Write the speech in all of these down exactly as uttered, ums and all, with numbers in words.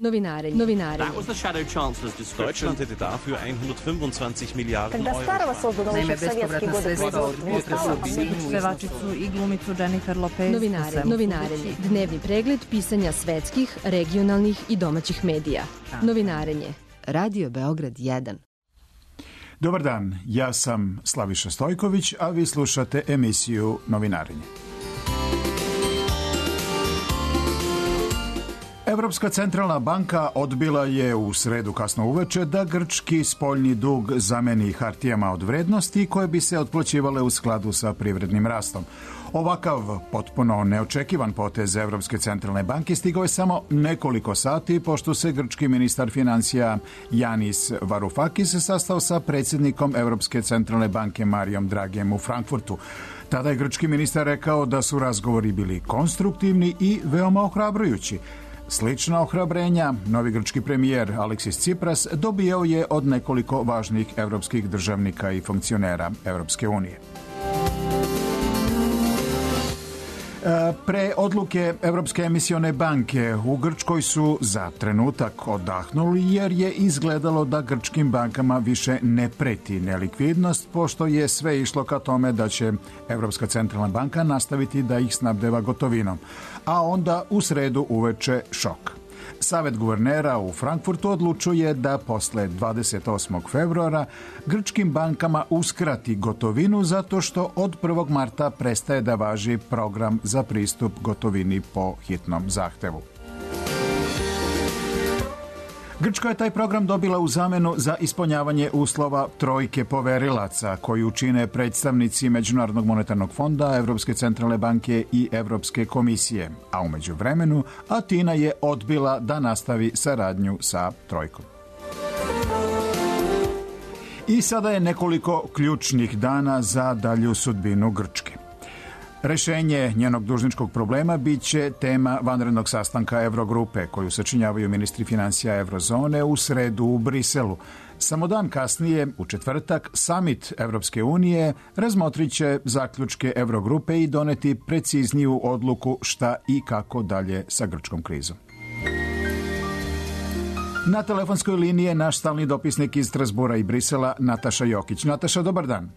Novinarenje. Novinarenje. That was the shadow chancellor's description. Deutschland hätte dafür hundertfünfundzwanzig Milliarden Когда старого создано еще в советские годы производства. Pevačicu i glumicu Jennifer Lopez. Novinare, novinarenje. Dnevni pregled pisanja svetskih, regionalnih i domaćih medija. Novinarenje. Radio Beograd jedan. Dobar dan, ja sam Slaviša Stojković, a vi slušate emisiju Novinarenje. Evropska centralna banka odbila je u sredu kasno uveče da grčki spoljni dug zameni hartijama od vrednosti koje bi se otplaćivale u skladu sa privrednim rastom. Ovakav potpuno neočekivan potez Evropske centralne banke stigao je samo nekoliko sati pošto se grčki ministar financija Yanis Varoufakis sastao sa predsjednikom Evropske centralne banke Marijom Dragijem u Frankfurtu. Tada je grčki ministar rekao da su razgovori bili konstruktivni i veoma ohrabrujući. Slična ohrabrenja novi grčki premijer Aleksis Tsipras dobijao je od nekoliko važnih evropskih državnika i funkcionera Evropske unije. Pre odluke Evropske emisione banke u Grčkoj su za trenutak odahnuli jer je izgledalo da grčkim bankama više ne preti nelikvidnost pošto je sve išlo ka tome da će Evropska centralna banka nastaviti da ih snabdeva gotovinom. A onda u sredu uveče šok. Savet guvernera u Frankfurtu odlučuje da posle dvadeset osmog februara grčkim bankama uskrati gotovinu zato što od prvog marta prestaje da važi program za pristup gotovini po hitnom zahtevu. Grčka je taj program dobila u zamenu za ispunjavanje uslova trojke poverilaca koju čine predstavnici Međunarodnog monetarnog fonda, Evropske centralne banke i Evropske komisije, a umeđu vremenu Atina je odbila da nastavi saradnju sa trojkom. I sada je nekoliko ključnih dana za dalju sudbinu Grčke. Rešenje njenog dužničkog problema bit će tema vanrednog sastanka Evrogrupe, koju sačinjavaju ministri financija Evrozone u sredu u Briselu. Samo dan kasnije, u četvrtak, Summit Evropske unije razmotrit će zaključke Evrogrupe i doneti precizniju odluku šta i kako dalje sa grčkom krizom. Na telefonskoj liniji je naš stalni dopisnik iz Strasbura i Brisela, Nataša Jokić. Nataša, dobar dan.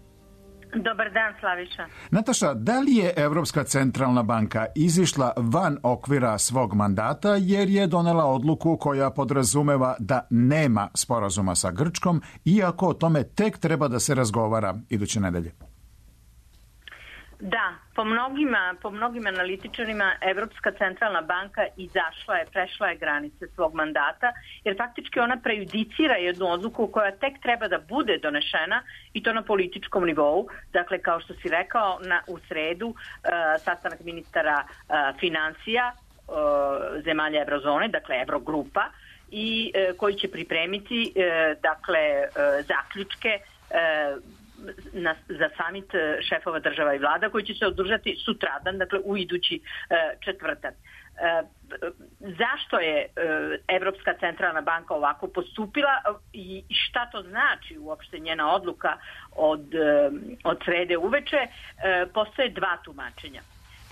Dobar dan, Slaviša. Nataša, da li je Evropska centralna banka izišla van okvira svog mandata jer je donela odluku koja podrazumeva da nema sporazuma sa Grčkom, iako o tome tek treba da se razgovara iduće nedelje? Da, po mnogima, po mnogim analitičarima Evropska centralna banka izašla je, prešla je granice svog mandata, jer faktički ona prejudicira jednu odluku koja tek treba da bude donešena i to na političkom nivou. Dakle, kao što si rekao, na, u sredu uh, sastanak ministara uh, financija uh, zemalja Evrozone, dakle Evrogrupa, i uh, koji će pripremiti uh, dakle uh, zaključke uh, Na, za samit šefova država i vlada koji će se održati sutradan, dakle u idući e, četvrtak. E, zašto je e, Evropska centralna banka ovako postupila i šta to znači uopšte njena odluka od, e, od srede uveče? E, postoje dva tumačenja.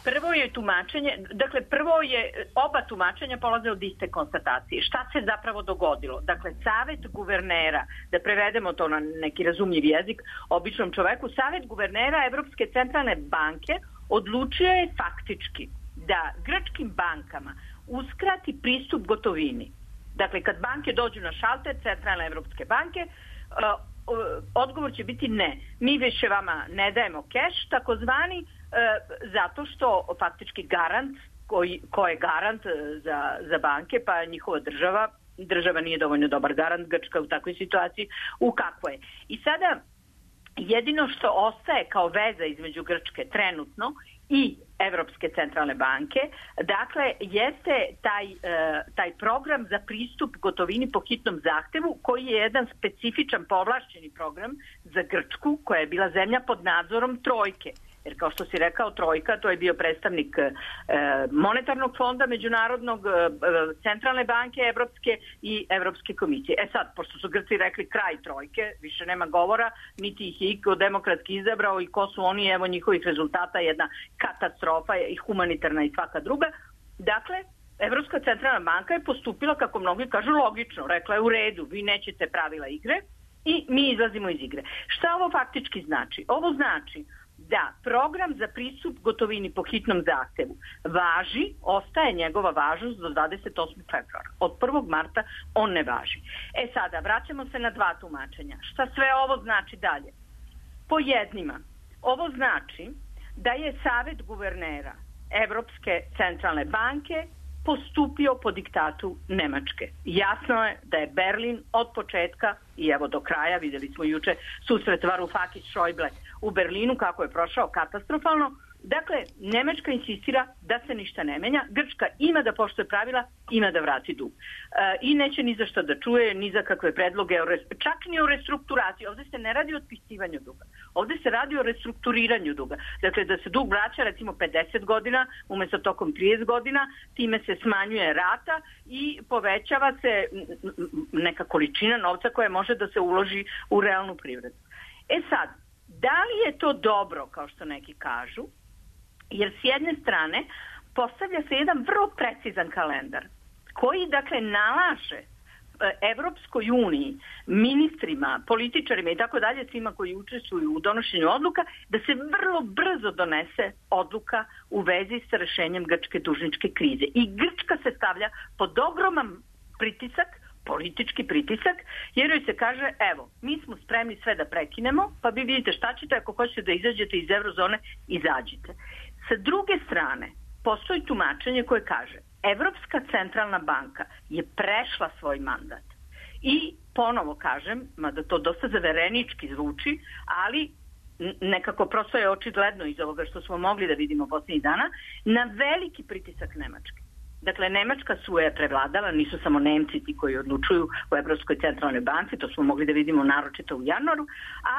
Prvo je tumačenje, dakle prvo je, oba tumačenja polaze od iste konstatacije. Šta se zapravo dogodilo? Dakle, Savet guvernera, da prevedemo to na neki razumljiv jezik, običnom čoveku, Savet guvernera Evropske centralne banke odlučio je faktički da grčkim bankama uskrati pristup gotovini. Dakle, kad banke dođu na šalter Centralne Evropske banke, odgovor će biti ne. Mi više vama ne dajemo keš, takozvani, zato što faktički garant, koji, ko je garant za, za banke, pa njihova država, država nije dovoljno dobar garant, Grčka u takvoj situaciji, u kakvoj je. I sada jedino što ostaje kao veza između Grčke trenutno i Evropske centralne banke, dakle, jeste taj, taj program za pristup gotovini po hitnom zahtevu, koji je jedan specifičan povlašćeni program za Grčku, koja je bila zemlja pod nadzorom trojke. Jer kao što si rekao, trojka, to je bio predstavnik e, monetarnog fonda, međunarodnog, e, centralne banke Evropske i Evropske komisije. E sad, pošto su Grci rekli kraj trojke, više nema govora, niti ih je iko demokratski izabrao i ko su oni, evo njihovih rezultata, jedna katastrofa i humanitarna i svaka druga. Dakle, e, Evropska centralna banka je postupila, kako mnogi kažu, logično. Rekla je u redu, vi nećete pravila igre i mi izlazimo iz igre. Šta ovo faktički znači? Ovo znači da program za pristup gotovini po hitnom zahtevu važi, ostaje njegova važnost do dvadeset osmog februara. Od prvog marta on ne važi. E sada, vraćamo se na dva tumačenja. Šta sve ovo znači dalje? Po jednima, ovo znači da je Savet guvernera Evropske centralne banke postupio po diktatu Nemačke. Jasno je da je Berlin od početka i evo do kraja, videli smo juče susret Varoufakis-Schäuble u Berlinu kako je prošao katastrofalno. Dakle, Nemačka insistira da se ništa ne menja. Grčka ima da poštuje pravila, ima da vrati dug. E, I neće ni za što da čuje, ni za kakve predloge, čak ni o restrukturaciji. Ovdje se ne radi o otpisivanju duga. Ovdje se radi o restrukturiranju duga. Dakle, da se dug vraća recimo pedeset godina, umjesto tokom trideset godina, time se smanjuje rata i povećava se neka količina novca koja može da se uloži u realnu privredu. E sad, da li je to dobro, kao što neki kažu? Jer s jedne strane postavlja se jedan vrlo precizan kalendar koji dakle nalaže Evropskoj uniji, ministrima, političarima i tako dalje, svima koji učestvuju u donošenju odluka, da se vrlo brzo donese odluka u vezi sa rešenjem grčke dužničke krize. I Grčka se stavlja pod ogroman pritisak, politički pritisak, jer joj se kaže, evo, mi smo spremni sve da prekinemo, pa vi vidite šta ćete, ako hoćete da izađete iz eurozone, izađite. Sa druge strane, postoji tumačenje koje kaže, Evropska centralna banka je prešla svoj mandat. I ponovo kažem, mada to dosta zaverenički zvuči, ali nekako prosto je očigledno iz ovoga što smo mogli da vidimo posljednjih dana, na veliki pritisak Nemačke. Dakle, Nemačka su je prevladala, nisu samo Nemci ti koji odlučuju u Evropskoj centralnoj banci, to smo mogli da vidimo naročito u januaru,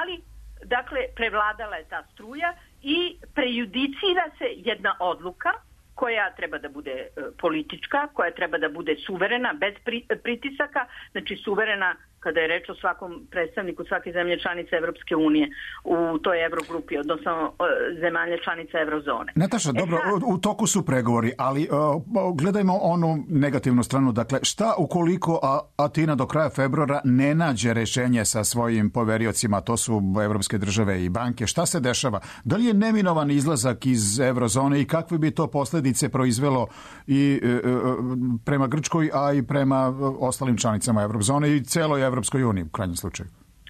ali dakle, prevladala je ta struja i prejudicira se jedna odluka koja treba da bude e, politička, koja treba da bude suverena, bez pri, pritisaka, znači suverena kada je reč o svakom predstavniku svake zemlje članice Evropske unije u toj Evrogrupi, odnosno zemalje članice Evrozone. Nataša, e, dobro, sad... u toku su pregovori, ali uh, gledajmo onu negativnu stranu. Dakle, šta ukoliko Atina do kraja februara ne nađe rešenje sa svojim poveriocima, to su evropske države i banke, šta se dešava? Da li je neminovan izlazak iz Evrozone i kakve bi to posljedice proizvelo i uh, prema Grčkoj, a i prema ostalim članicama Evrozone i celoj Evropskoj uniji u krajnjem slučaju?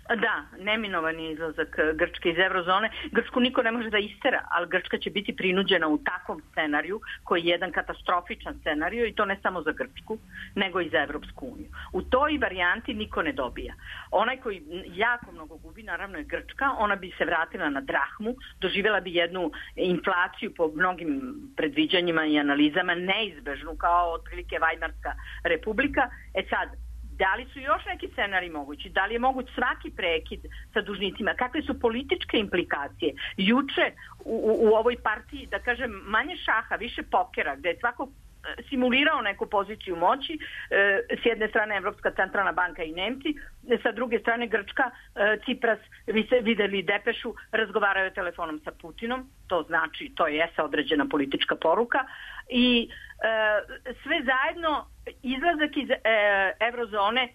Da, neminovan je izlazak Grčke iz Evrozone. Grčku niko ne može da istera, ali Grčka će biti prinuđena u takvom scenariju koji je jedan katastrofičan scenariju i to ne samo za Grčku, nego i za Evropsku uniju. U toj varijanti niko ne dobija. Onaj koji jako mnogo gubi, naravno je Grčka, ona bi se vratila na drahmu, doživjela bi jednu inflaciju po mnogim predviđanjima i analizama, neizbežnu kao otprilike Vajmarska republika. E sad, da li su još neki scenari mogući? Da li je moguć svaki prekid sa dužnicima? Kakve su političke implikacije? Juče u, u, u ovoj partiji, da kažem, manje šaha, više pokera, gde je svako simulirao neku poziciju moći, s jedne strane Evropska centralna banka i Nemci, sa druge strane Grčka, Cipras, vi ste videli depešu, razgovaraju telefonom sa Putinom, to znači, to je jeste određena politička poruka i sve zajedno izlazak iz Evrozone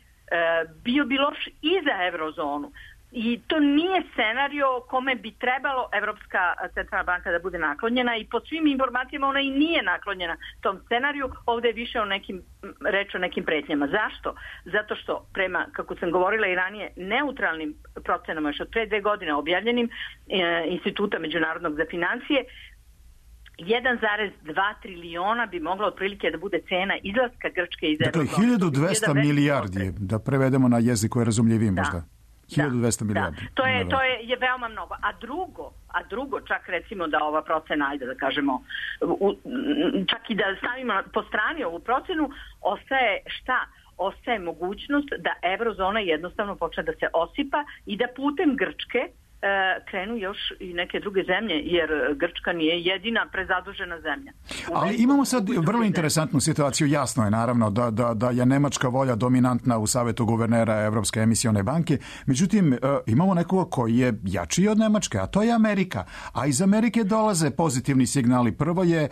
bio bi loš i za Evrozonu. I to nije scenario kome bi trebalo Evropska centralna banka da bude naklonjena i po svim informacijama ona i nije naklonjena tom scenariju. Ovdje je više o nekim, reč o nekim pretnjama. Zašto? Zato što prema, kako sam govorila i ranije, neutralnim procenama još od pre dve godine objavljenim e, Instituta međunarodnog za financije, jedan zarez dva triliona bi mogla otprilike da bude cena izlaska Grčke iz Evrozone. Dakle, hiljadu dvesta milijardi, da prevedemo na jezik koji je razumljiviji možda. hiljadu dvesta milijardi. Da. To je to je, je veoma mnogo. A drugo, a drugo čak recimo da ova procena, ajde da kažemo, u, čak i da stavimo po strani ovu procenu, ostaje šta? Ostaje mogućnost da Evrozona jednostavno počne da se osipa i da putem Grčke krenu još i neke druge zemlje, jer Grčka nije jedina prezadužena zemlja. Ali imamo sad vrlo interesantnu situaciju. Jasno je naravno da, da, da je nemačka volja dominantna u Savetu guvernera Evropske emisione banke. Međutim, imamo nekoga koji je jači od Nemačke, a to je Amerika. A iz Amerike dolaze pozitivni signali. Prvo je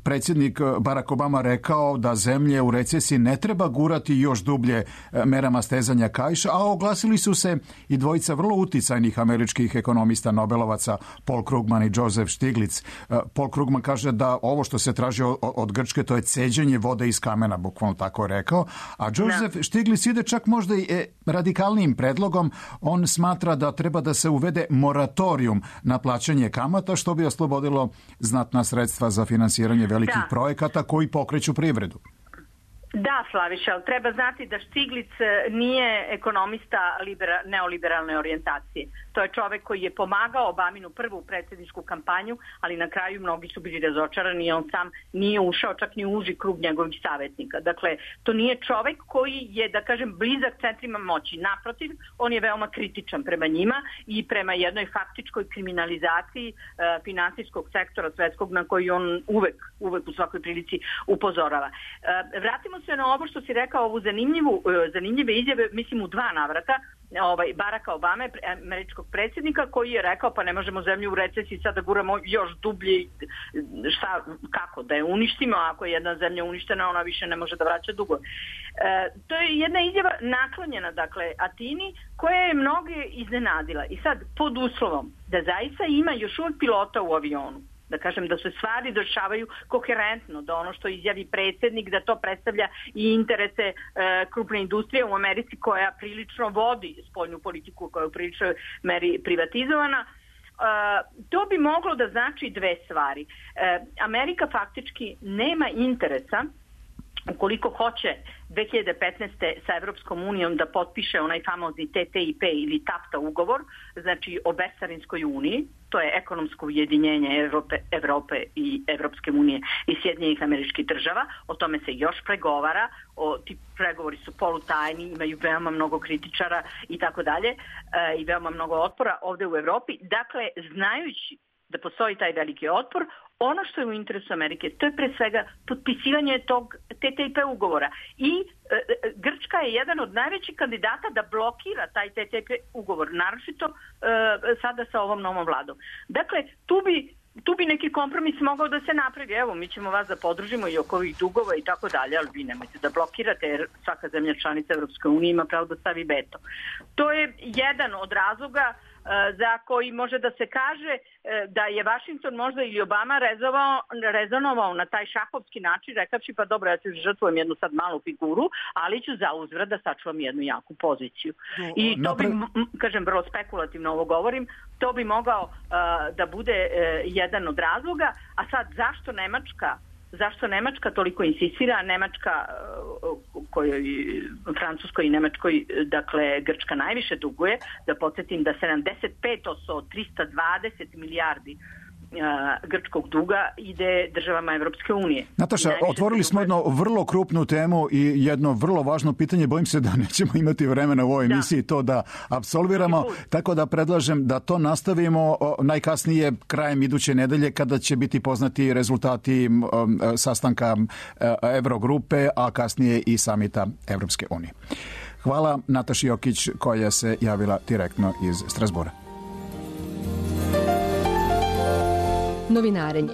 predsjednik Barack Obama rekao da zemlje u recesiji ne treba gurati još dublje merama stezanja kaiša, a oglasili su se i dvojica vrlo uticajnih američkih ekonomista Nobelovaca, Paul Krugman i Joseph Stiglitz. Paul Krugman kaže da ovo što se traži od Grčke to je ceđenje vode iz kamena, bukvalno tako rekao, a Joseph no. Stiglitz ide čak možda i radikalnijim predlogom. On smatra da treba da se uvede moratorium na plaćanje kamata, što bi oslobodilo znatna sredstva za finansiranje velikih da. projekata koji pokreću privredu. Da, Slaviša, ali treba znati da Stiglitz nije ekonomista libera, neoliberalne orijentacije. To je čovek koji je pomagao Obaminu prvu predsjedničku kampanju, ali na kraju mnogi su bili razočarani i on sam nije ušao čak ni u uži krug njegovih savjetnika. Dakle, to nije čovek koji je, da kažem, blizak centrima moći. Naprotiv, on je veoma kritičan prema njima i prema jednoj faktičkoj kriminalizaciji e, finansijskog sektora svetskog na koji on uvek, uvek u svakoj prilici upozorava. E, vratimo se na ovo što si rekao, ovu zanimljivu, zanimljive izjave, mislim u dva navrata, ovaj, Baracka Obame, američkog predsjednika, koji je rekao pa ne možemo zemlju u recesiji sad da guramo još dublje, šta, kako, da je uništimo, ako je jedna zemlja uništena, ona više ne može da vraća dugo. E, to je jedna izjava naklonjena, dakle, Atini, koja je mnoge iznenadila. I sad, pod uslovom da zaista ima još uvijek pilota u avionu, da kažem da se stvari dešavaju koherentno, da ono što izjavi predsjednik, da to predstavlja i interese e, krupne industrije u Americi koja prilično vodi spoljnu politiku, koja je u priličnoj meri privatizovana. E, to bi moglo da znači dve stvari. E, Amerika faktički nema interesa, ukoliko hoće dve hiljade petnaeste. sa Evropskom unijom da potpiše onaj famozni T T I P ili TAFTA ugovor, znači o bescarinskoj uniji, to je ekonomsko ujedinjenje Evrope, Evrope i Evropske unije i Sjedinjenih Američkih Država, o tome se još pregovara, o, ti pregovori su polutajni, imaju veoma mnogo kritičara i tako dalje, i veoma mnogo otpora ovdje u Evropi. Dakle, znajući da postoji taj veliki otpor, ono što je u interesu Amerike, to je pre svega potpisivanje tog T T I P ugovora. I e, Grčka je jedan od najvećih kandidata da blokira taj T T I P ugovor, naročito e, sada sa ovom novom vladom. Dakle, tu bi, tu bi neki kompromis mogao da se napravi. Evo, mi ćemo vas da podržimo i oko ovih dugova i tako dalje, ali vi nemojte da blokirate, jer svaka zemlja članica Evropske unije ima pravo da stavi veto. To je jedan od razloga za koji može da se kaže da je Washington možda ili Obama rezovao, rezonovao na taj šahovski način, rekavši pa dobro, ja ću žrtvujem jednu sad malu figuru, ali ću za uzvrat da sačuvam jednu jaku poziciju. I to bi, kažem, vrlo spekulativno ovo govorim, to bi mogao uh, da bude uh, jedan od razloga. A sad, zašto Nemačka Zašto Nemačka toliko insistira? Nemačka, kojoj, Francuskoj i Nemačkoj, dakle, Grčka najviše duguje, da podsjetim da sedamdeset pet posto od trista dvadeset milijardi grčkog duga ide državama Evropske unije. Nataša, otvorili smo jednu vrlo krupnu temu i jedno vrlo važno pitanje. Bojim se da nećemo imati vremena u ovoj emisiji da. to da apsolviramo, tako da predlažem da to nastavimo najkasnije krajem iduće nedelje, kada će biti poznati rezultati sastanka Evrogrupe, a kasnije i samita Evropske unije. Hvala Nataši Jokić, koja se javila direktno iz Strasbura. Novinarenje.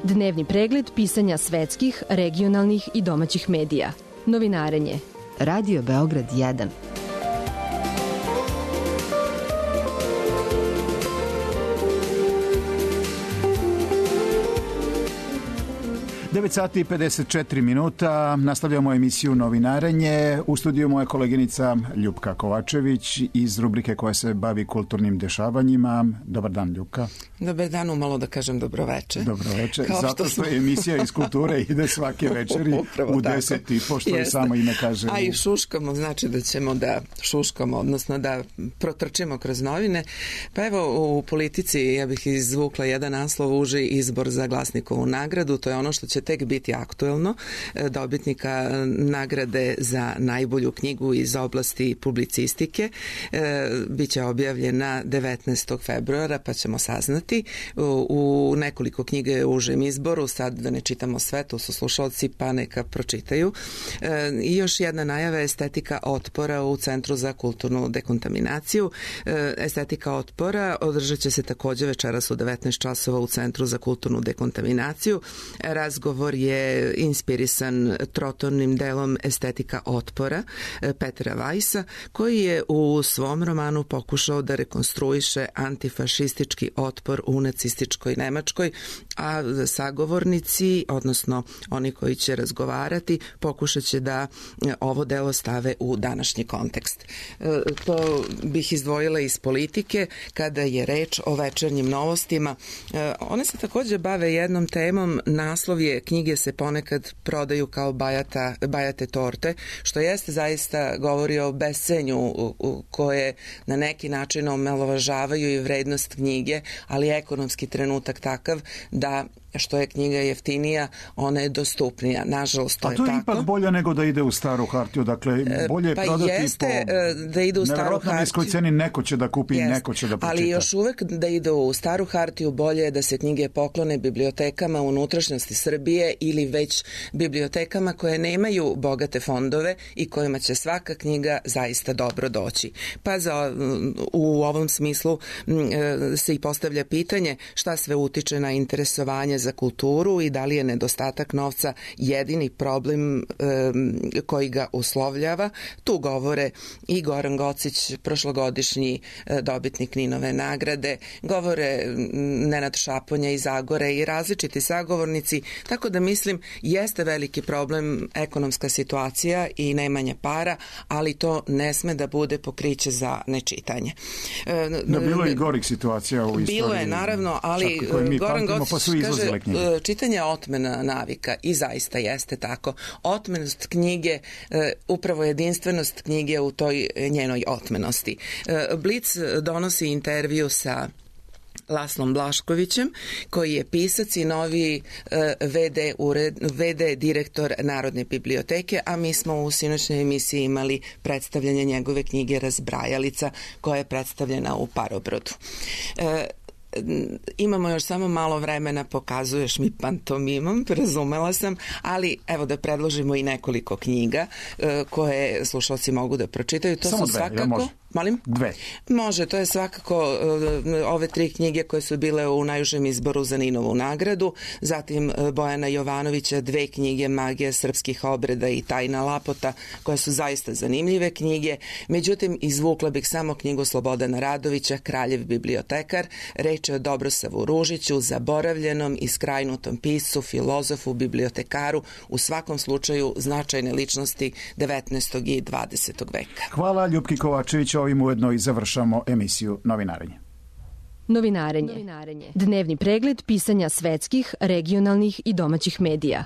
Dnevni pregled pisanja svetskih, regionalnih i domaćih medija. Novinarenje. Radio Beograd jedan. devet sati i pedeset četiri minuta. Nastavljamo emisiju Novinarenje. U studiju moja koleginica Ljupka Kovačević iz rubrike koja se bavi kulturnim dešavanjima. Dobar dan, Ljupka. Dobar dan, umalo da kažem dobroveče. Dobroveče, zato što je emisija iz kulture ide svake večeri u deset i po, što je samo ime kaže. A i šuškamo, znači da ćemo da šuškamo, odnosno da protrčimo kroz novine. Pa evo, u politici ja bih izvukla jedan naslov, uži izbor za Glasnikovu nagradu. To je ono što će će tek biti aktuelno, dobitnika nagrade za najbolju knjigu iz oblasti publicistike. Biće objavljena devetnaestog februara, pa ćemo saznati. U nekoliko knjiga je u užem izboru, sad da ne čitamo sve, to su slušalci, pa neka pročitaju. I još jedna najava je estetika otpora u Centru za kulturnu dekontaminaciju. Estetika otpora održat će se takođe večeras u devetnaest časova u Centru za kulturnu dekontaminaciju. Razgovor je inspirisan trotornim delom Estetika otpora Petera Weissa, koji je u svom romanu pokušao da rekonstruiše antifašistički otpor u nacističkoj Nemačkoj, a sagovornici, odnosno oni koji će razgovarati, pokušat će da ovo delo stave u današnji kontekst. To bih izdvojila iz politike kada je reč o večernjim novostima. One se takođe bave jednom temom, naslov je knjige se ponekad prodaju kao bajata, bajate torte, što jeste zaista govori o bescenju koje na neki način omalovažavaju i vrednost knjige, ali ekonomski trenutak takav da što je knjiga jeftinija, ona je dostupnija. Nažalost, to je tako. A to je ipak bolje nego da ide u staru hartiju, dakle bolje je pa prodati jeste, po da ide u staru hartiju. Niskoj ceni, neko će da kupi i neko će da pročita. Ali još uvek da ide u staru hartiju, bolje je da se knjige poklone bibliotekama u unutrašnjosti Srbije ili već bibliotekama koje nemaju bogate fondove i kojima će svaka knjiga zaista dobro doći. Pa za, u ovom smislu se i postavlja pitanje šta sve utiče na interesovanje za kulturu i da li je nedostatak novca jedini problem e, koji ga uslovljava. Tu govore i Goran Gocić, prošlogodišnji e, dobitnik Ninove nagrade, govore Nenad Šaponja iz Zagore i različiti sagovornici, tako da mislim jeste veliki problem ekonomska situacija i nemanje para, ali to ne sme da bude pokriće za nečitanje. E, da, bilo je i gorih situacija u istoriji. Bilo je, naravno, ali Goran Gocić kaže čitanje je otmena navika i zaista jeste tako. Otmenost knjige, upravo jedinstvenost knjige u toj njenoj otmenosti. Blic donosi intervju sa Laslom Blaškovićem, koji je pisac i novi ve de, ured, ve de direktor Narodne biblioteke, a mi smo u sinoćnoj emisiji imali predstavljanje njegove knjige Razbrajalica, koja je predstavljena u Parobrodu. Imamo još samo malo vremena, pokazuješ mi pantomimom, razumela sam, ali evo da predložimo i nekoliko knjiga koje slušalci mogu da pročitaju. To samo su dve, svakako... ja može. Molim? Dve. Može, to je svakako ove tri knjige koje su bile u najužem izboru za Ninovu nagradu, zatim Bojana Jovanovića, dve knjige Magija srpskih obreda i Tajna Lapota, koje su zaista zanimljive knjige. Međutim, izvukla bih samo knjigu Slobodana Radovića, Kraljev bibliotekar. Reč je o Dobrosavu Ružiću, zaboravljenom i skrajnutom piscu, filozofu, bibliotekaru, u svakom slučaju značajne ličnosti devetnaestog i dvadesetog veka. Hvala Ljupki Kovačević. Ovim ujedno i završamo emisiju Novinarenje. Novinarenje. Dnevni pregled pisanja svetskih, regionalnih i domaćih medija.